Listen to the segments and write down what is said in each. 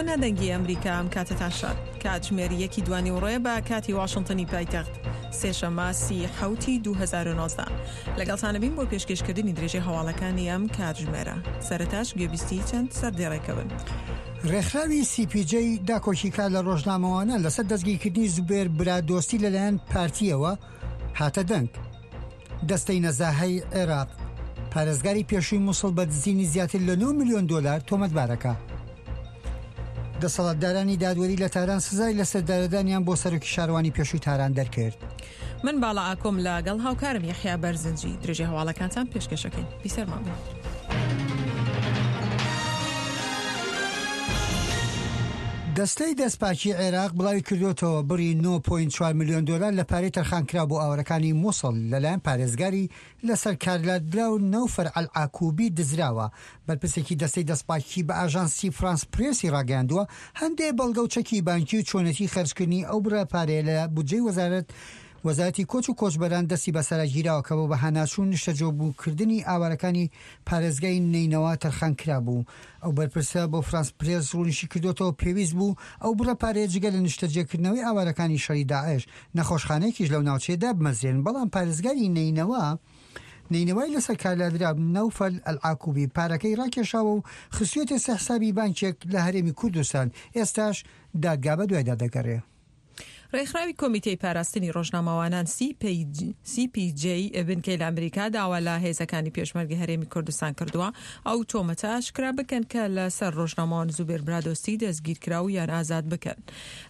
نا دەنگی ئەمریکا ئەم کاتەتان شاد. کاتژمێر یەکی دوانیوەڕۆیە بە کاتی واشنتنی پایتەخت سێشەممە سی حەوتی 2019 لەگەڵتانە بین بۆ پێشکێشکردنی درێژەی هەواڵەکانی ئەم کاتژمێرە سەرەتاش گوێبیستی چەند سەردێڕێکە بن. ڕێکخراوی سی پی جەی داکۆکیکار لە ڕۆژنامەوانان لەسەر دەستگیرکردنی زوبێر برادۆستی لەلایەن پارتییەوە هاتە دەنگ. دەستەی نەزاهەی عێراق پارێزگاری پێشووی موسڵ بە دزینی زیاتر لە 9 ملیۆن دۆلار تۆمەتبارەکە. دەسەڵاتدارانی دادوەری لە تاران سزای لەسێدارەدانیان بۆ سەرۆکی شارەوانی پێشووی تاران دەرکرد. من باڵا ئاکۆم لەگەڵ هاوکارم یەحیا بەرزنجی درێژەی هەواڵەکانتان پێشکەشەکەین. بیسەرمان بن. دەستەی دەستپاکی عێراق بڵاویکردووەتەوە، بڕی 9.4 ملیۆن دۆلار لە پارەی تەرخانکراو بۆ ئاوارەکانی موسڵ لەلایەن پارێزگاری لەسەر کارلادراو نەوفەر ئەلعاکوبی دزراوە. بەرپرسێکی دەستەی دەستپاکی بە ئاژانسی فرانس پرێسی ڕاگەیاندووە، هەندێ بەڵگە و چەکی بانکی و چۆنێتی خەرجکردنی ئەو بڕە پارەیە لە بودجەی وەزارەت وەزارەتی کۆچ و کۆچبەران دەستی بەسەرا گیراوە کە بۆ بەهاناچوون نیشتەجێبووکردنی ئاوارەکانی پارێزگای نەینەوا تەرخان کرابوو. ئەو بەرپرسە بۆ فرانس پرێس ڕوونیشیکردۆتەوە، پێویست بوو ئەو بڕە پارەیە جگە لە نیشتەجێکردنەوەی ئاوارەکانی شەڕی داعش، نەخۆشخانەیەکیش لەو ناوچەیە دابمەزرێن، بەڵام پارێزگاری نەینەوا نەینەوای لەسەر کارلادرا نەوفەل ئەلعاکوبی پارەکەی ڕاکێشاوە و خستویەتە سەر حسابی بانکێک لە هەرێمی کوردستان، ئێستاش دادگا بەدوایدا دەگەڕێ. ڕێکخراوی کۆمیتەی پاراستنی ڕۆژنامەوانان CPJ بنکەی لە ئەمریکا داوا لە هێزەکانی پێشمەرگەی هەرێمی کوردستان کردووە ئەو تۆمەتە ئاشکرا بکەن کە لەسەر ڕۆژنامەوان زوبێر برادۆستی دەستگیرکراو یان ئازاد بکەن.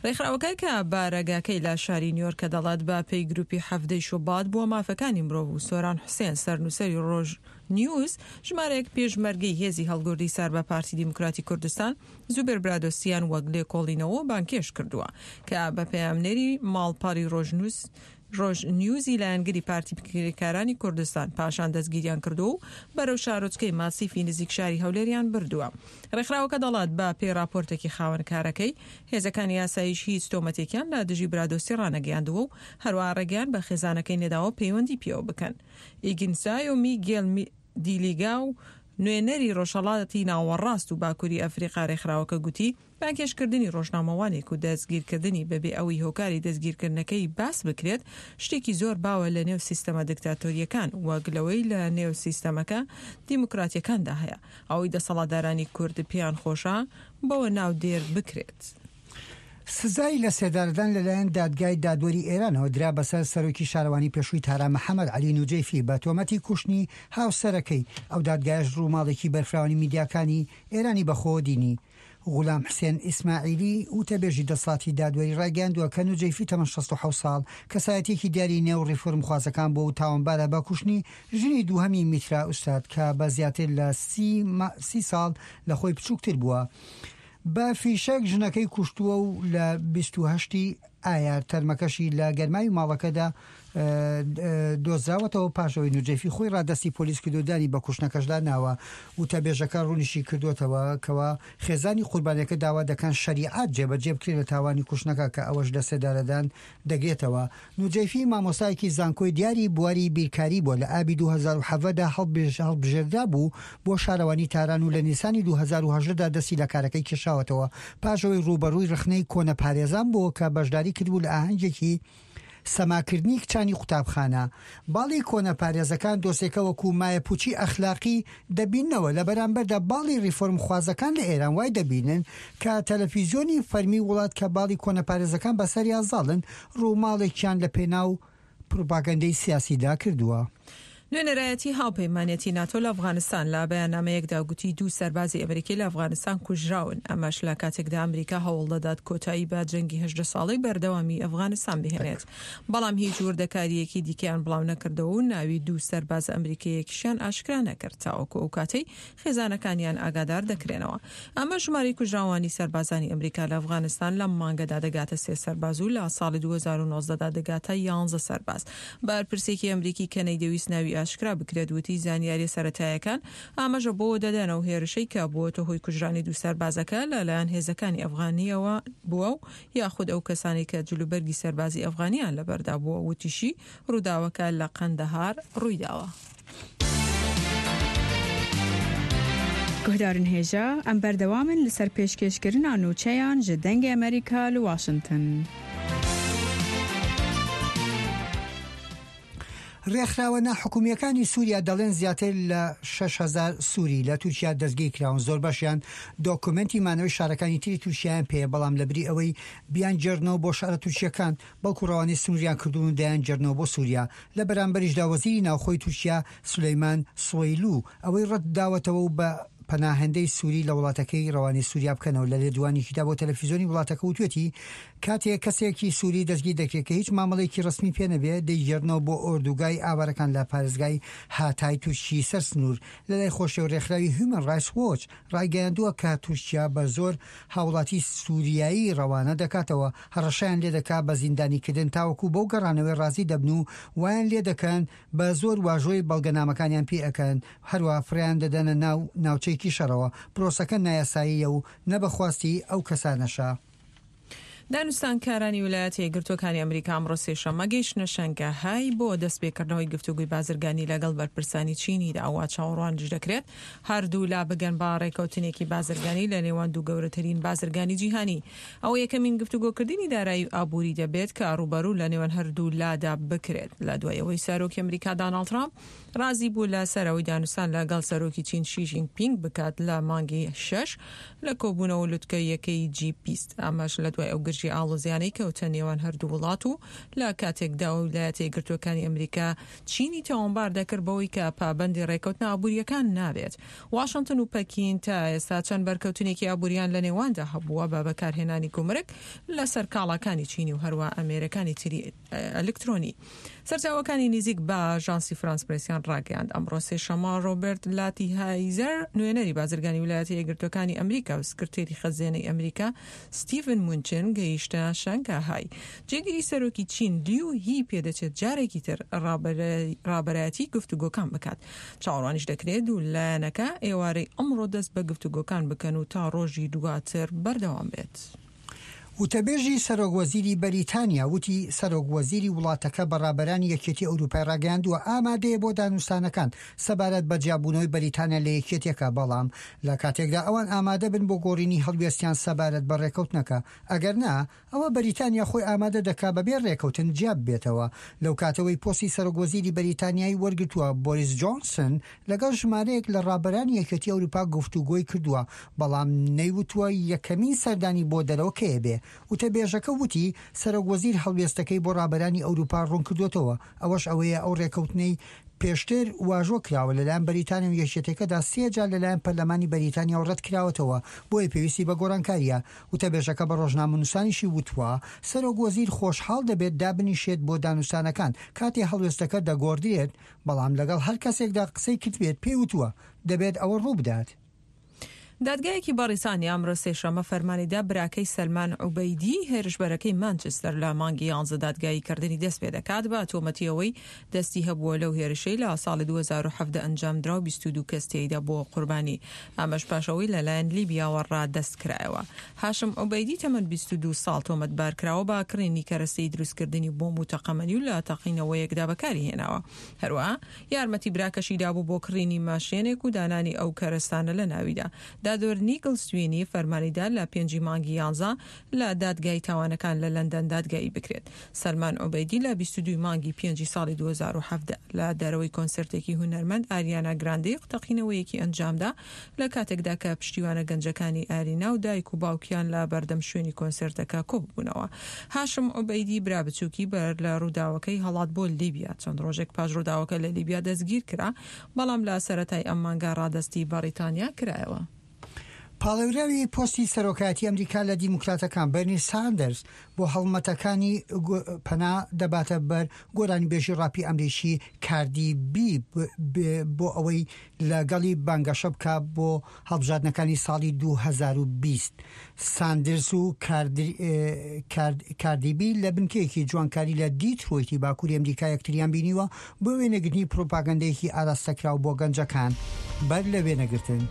ڕێکخراوەکە کە بارەگاکەی لە شاری نیویۆرکە دەڵێت بە پێی گروپی حەڤدەی شوبات بۆ مافەکانی مرۆڤ و سۆران حوسێن سەرنووسەری ڕۆژ نیوز ژمارەیەک پێشمەرگەی هێزی هەڵگوردی سەر بە پارتی دیموکراتی کوردستان زوبێر برادۆستیان وەک لێکۆڵینەوە بانگهێشت کردووە کە بە پەیامنێری ماڵپەڕی ڕۆژنووس ڕۆژ نیوزی لایەنگری پارتی کرێکارانی کوردستان پاشان دەستگیریان کردووە و بەرەو شارۆچکەی ماسیفی نزیک شاری هەولێریان بردووە. ڕێکخراوەکە دەڵات بە پێی ڕاپۆرتێکی خاوەن کارەکەی، هێزەکانی ئاسایش هیچ تۆمەتێکیان لە دژی برادۆستی ڕانەگەیاندووە و هەروەها ڕێگەیان بە خێزانەکەی نەداوە پەیوەندی پێوە بکەن. ئیگنسایۆ میگێل دیلیگا و نوێنەری ڕۆژهەڵاتی ناوەڕاست و باکووری ئەفریقا رێکخراوەکە گوتی، بانگهێشتکردنی ڕۆژنامەوانێک و دەستگیرکردنی بەبێ ئەوەی هۆکاری دەستگیرکردنەکەی باس بکرێت، شتێکی زۆر باوە لە نێو سیستەمە دکتاتۆرییەکان وەک لەوەی لە نێو سیستەمەکە دیموکراتییەکاندا هەیە، ئەوەی دەسەڵاتدارانی کورد پێیان خۆشە بەوە ناودێر بکرێت. سزای لەسێدارەدان لەلایەن دادگای دادوەری ئێرانەوە درا بەسەر سەرۆکی شارەوانی پێشووی تاران محەمەد عەلی نوجەیفی بە تۆمەتی کوشتنی هاوسەرەکەی، ئەو دادگایەش ڕووماڵێکی بەرفراوانی میدیاکانی ئێرانی بەخۆوە دینی. غولام حسێن ئیسماعیلی وتەبێژی دەسەڵاتی دادوەری ڕایگەیاندووە کە نوجەیفی تەمەن 67 ساڵ کەسایەتییەکی دیاری نێو ڕیفۆرمخوازەکان بووە و تاوانبارە بە کوشتنی ژنی دووهەمی میترا ئوستاد کە بە زیاتر لە سی ساڵ لە خۆی بچووکتر بووە. بە فیشەک ژنەکەی کوشتووە و لە 28 ی ئایار تەرمەکەشی لە گەرماوی ماڵەکەدا دۆزراوەتەوە پاش ئەوەی نوجەیفی خۆی ڕادەستی پۆلیس کردو دانی بە کوشتنەکەشدا ناوە. وتەبێژەکە ڕوونیشی کردووەتەوە کەوا خێزانی قوربانیەکە داوا دەکەن شەریعەت جێبەجێ بکرێت لە تاوانی کوشتنەکە کە ئەوەش لەسێدارەدان دەگرێتەوە. نوجەیفی مامۆستایەکی زانکۆی دیاری بواری بیرکاری بووە، لە ئابی 2017 دا هەڵبژێردرابوو بۆ شارەوانی تاران و لە نیسانی 2018 دا دەستی لە کارەکەی کێشاوەتەوە پاش ئەوەی ڕووبەڕووی ڕەخنەی کۆنەپارێزان بووە کە بەشداری کردبوو لە ئاهەنگێکی سەماکردنی کچانی قوتابخانە. باڵی کۆنەپارێزەکان دۆسێکە وەکو مایەپوچی ئەخلاقی دەبیننەوە، لە بەرامبەردا باڵی ڕیفۆرمخوازەکان لە ئێران وای دەبینن کە تەلەفیزیۆنی فەرمی وڵات کە باڵی کۆنەپارێزەکان بەسەریا زاڵن ڕووماڵێکیان لە پێناو پروپاگەندەی سیاسیدا کردووە. نوێنەرایەتی هاوپەیمانێتی ناتۆ لە ئەفغانستان لە بەیاننامەیەکدا گوتی دوو سەربازی ئەمریکی لە ئەفغانستان کوژراون، ئەمەش لە کاتێکدا ئەمریکا هەوڵدەدات کۆتایی بە جەنگی 18 ساڵەی بەردەوامی ئەفغانستان بهێنێت. بەڵام هیچ وردەکارییەکی دیکەیان بڵاونەکردەوە و ناوی دوو سەربازە ئەمریکییەکیشیان ئاشکرا نەکرد تاوەکو ئەو کاتەی خێزانەکانیان ئاگادار دەکرێنەوە. ئەمەش ژمارەی کوژراوانی سەربازانی ئەمریکا لە ئەفغانستان لەم مانگەدا دەگاتە سێ سەرباز و لە ساڵی 2019 دا دەگاتە یانزە سەرباز. بەرپرسێکی ئەمریکی کە نەیدەویست ناوی ئاشکرا بکرێت وتی زانیاریە سەرەتایەکان ئاماژە بەوە دەدەن ئەو هێرشەی کە بووەتە هۆی کوژرانی دوو سەربازەکە لە لایەن هێزەکانی ئەفغانیەوە بووە و یاخود ئەو کەسانەی کە جلوبەرگی سەربازی ئەفغانیان لەبەردا بووە وتیشی ڕووداوەکە لە قەندەهار ڕوویداوە. Guhdarên hêja, em berdewam in li ser pêşkêşkirina nûçeyan ji Dengê Amerîka li Washington. ڕێکخراوە ناحکومییەکانی سووریا دەڵێن زیاتر لە 6000 سووری لە تورکیا دەستگیرکراون، زۆربەشیان دۆکۆمێنتی مانەوەی شارەکانی تری تورکیایان پێیە، بەڵام لەبری ئەوەی بیانگێڕنەوە بۆ شارە تورکییەکان، بەڵکو ڕەوانەی سنووریان کردوون و دەیانگێڕنەوە بۆ سووریا. لە بەرامبەریشدا وەزیری ناوخۆی تورکیا سولەیمان سوەیلو ئەوەی ڕەتداوەتەوە و بە پەناهەندەی سووری لە وڵاتەکەی ڕەوانەی سووریا بکەنەوە. لە لێدوانێکیدا بۆ تەلەفیزیۆنی وڵاتەکە وتوێتی، کاتێ کەسێکی سووری دەستگیر دەکرێت کە هیچ مامەڵەیەکی ڕەسمی پێ نەبێ، دەیگێڕنەوە بۆ ئۆردوگای ئاوارەکان لە پارێزگای هاتای تورکی سەر سنوور. لەلای خۆشیەوە ڕێکخراوی هیومەن ڕایتس وۆچ ڕایگەیاندووە کە تورکیا بە زۆر هاوڵاتی سووریایی ڕەوانە دەکاتەوە، هەڕەشەیان لێدەکا بە زیندانیکردن تاوەکو بەو گەڕانەوەی ڕازی دەبن و وایان لێدەکەن بە زۆر واژۆی بەڵگەنامەکانیان پێ ئەکەن، هەروەها فڕێیان دەدەنە ناو ناوچەیەکی شەڕەوە، پرۆسەکە نایاساییە و نە بە خواستی ئەو کەسانەشە. دانوستانکارانی ویلایەتە یەکگرتووەکانی ئەمریکا ئەمڕۆ سێشەممە گەیشتنە شەنگەهای بۆ دەستپێکردنەوەی گفتوگۆی بازرگانی لەگەڵ بەرپرسانی چینیدا و چاوەڕوانیش دەکرێت هەردوولا بگەن بە ڕێکەوتنێکی بازرگانی لە نێوان دوو گەورەترین بازرگانی جیهانی. ئەوە یەکەمین گفتوگۆکردنی دارایی و ئابووری دەبێت کە ڕووبەڕوو لە نێوان هەردوولادا بکرێت لە دوای ئەوەی سەرۆکی ئەمریکا داناڵد ترامپ ڕازی بوو لە سەر ئەوەی دانوستان لە گەڵ سەرۆکی چین شی ژینگ پینگ بکات لە مانگی شەش لە کۆبوونەوە لوتکەییەکەی جی 20 ئەمەش لە دوای ئەو گرژی ئاڵۆزیانەی کەوتە نێوان هەردوو وڵات و لە کاتێکدا ویلایەتە یەکگرتووەکانی ئەمریکا چینی تاوانبار دەکرد بەوەی کە پابەندی ڕێکەوتنە ئابوورییەکان نابێت. واشنتن و پەکین تا ئێستا چەند بەرکەوتنێکی ئابووریان لە نێواندا هەبووە بە بەکارهێنانی گومرگ لەسەر کاڵاکانی چینی و هەروە ئامێرەکانی تری ئەلکترۆنی. سەرچاوەکانی نیزیک بە ئاژانسی فرانس پرێسیان ڕاگەیاند، ئەمڕۆ سێشەممە ڕۆبێرت لاتیهایزەر نوێنەری بازرگانی ویلایەتە یەکگرتووەکانی ئەمریکا و سکرتێری خەزێنەی ئەمریکا ستیڤن مونچن گەیشتە شەنگاهای. جێگری سەرۆکی چین لیو هی پێدەچێت جارێکی تر ڕابەرایەتی گفتوگۆکان بکات. چاوەڕوانیش دەکرێت دوو لایەنەکە ئێوارەی ئەمڕۆ دەست بە گفتوگۆکان بکەن و تا ڕۆژی دواتر بەردەوام بێت. وتەبێژی سەرۆک وەزیری بەریتانیا وتی سەرۆک وەزیری وڵاتەکە بە ڕابەرانی یەکێتی ئەوروپای ڕاگەیاندووە ئامادەیە بۆ دانوستانەکان سەبارەت بە جیابوونەوەی بەریتانیا لە یەکێتیەکە بەڵام لە کاتێکدا ئەوان ئامادە بن بۆ گۆڕینی هەڵوێستیان سەبارەت بە ڕێکەوتنەکە ئەگەر نا ئەوا بەریتانیا خۆی ئامادە دەکا بەبێ ڕێکەوتن جیا ببێتەوە. لەو کاتەوەی پۆستی سەرۆک وەزیری بەریتانیای وەرگرتووە بۆریس جۆنسن لەگەڵ ژمارەیەک لە ڕابەرانی یەکێتی ئەوروپا گفتوگۆی کردووە، بەڵام نەیوتووە یەکەمین سەردانی بۆ دەرەوە کەی ئەبێ. وتەبێژەکە وتی سەرۆک وەزیر هەڵوێستەکەی بۆ ڕابەرانی ئەوروپا ڕوونکردووەتەوە، ئەوەش ئەوەیە ئەو ڕێکەوتنەی پێشتر واژۆ کراوە لەلایەن بەریتانیا و یەکێتیەکەدا سێ جار لەلایەن پەرلەمانی بەریتانیاوە ڕەتکراوەتەوە، بۆیە پێویستی بە گۆڕانکارییە. وتەبێژەکە بە ڕۆژنامەنووسانیشی وتووە، سەرۆک وەزیر خۆشحاڵ دەبێت دابنیشێت بۆ دانوستانەکان کاتێ هەڵوێستەکە دەگۆڕدرێت، بەڵام لەگەڵ هەر کەسێکدا قسەی کردبێت پێی وتووە دەبێت ئەوە ڕووبدات. دادگایەکی بەڕیتانیا ئەمڕۆ سێشەممە فەرمانی دا براکەی سەلمان عوبەیدی هێرشبەرەکەی مانچستەر لە مانگی یانزە دادگاییکردنی دەستپێدەکات بە تۆمەتی ئەوەی دەستی هەبووە لەو هێرشەی لە ساڵی 2017 ئەنجامدرا و 22 کەس تێیدا بووە قوربانی ئەمەش پاش ئەوەی لەلایەن لیبیاوە ڕادەست کرایەوە. هاشم عوبەیدی تەمەن 22 ساڵ تۆمەتبارکراوە بە کڕینی کەرەستەی دروستکردنی بۆمب و تەقەمەنی و لە تەقینەوەیەکدا بەکاری هێناوە. هەروەها یارمەتی براکەشی دابوو بۆ کڕینی ماشێنێک و دانانی ئەو کەرەستانە لە ناویدا. دادوەر نیگل سوینی فەرمانی دا لە پێنجی مانگی یانزە لە دادگای تاوانەکان لە لەندەن دادگایی بکرێت. سەلمان عوبەیدی لە 22 مانگی پێنجی ساڵی 2017 لە دەرەوەی کۆنسێرتێکی هونەرمەند ئاریانا گراندی تەقینەوەیەکی ئەنجامدا لە کاتێکدا کە پشتیوانە گەنجەکانی ئارینا و دایک و باوکیان لە بەردەم شوێنی کۆنسێرتەکە کۆببوونەوە. هاشم عوبەیدی برا بچووکی بەر لە ڕووداوەکەی هەڵات بۆ لیبیا. چەند ڕۆژێک پاش ڕووداوەکە لە لیبیا دەستگیرکرا، بەڵام لە سەرەتای ئەم مانگە ڕادەستی بەڕیتانیا کرایەوە. پاڵێوراوی پۆستی سەرۆکایەتی ئەمریکا لە دیموکراتەکان بەرنی ساندەرز بۆ هەڵمەتەکانی پەنا دەباتە بەر گۆرانیبێژی ڕاپی ئەمریکی کاردی بی بۆ ئەوەی لەگەڵی بانگەشە بکا بۆ هەڵبژاردنەکانی ساڵی 2020. ساندرز و کاردی بی لە بنکەیەکی جوانکاری لە دیترۆیتی باکووری ئەمریکا یەکتریان بینیوە بۆ وێنەگرتنی پروپاگەندەیەکی ئاراستەکراو بۆ گەنجەکان بەر لە وێنەگرتن.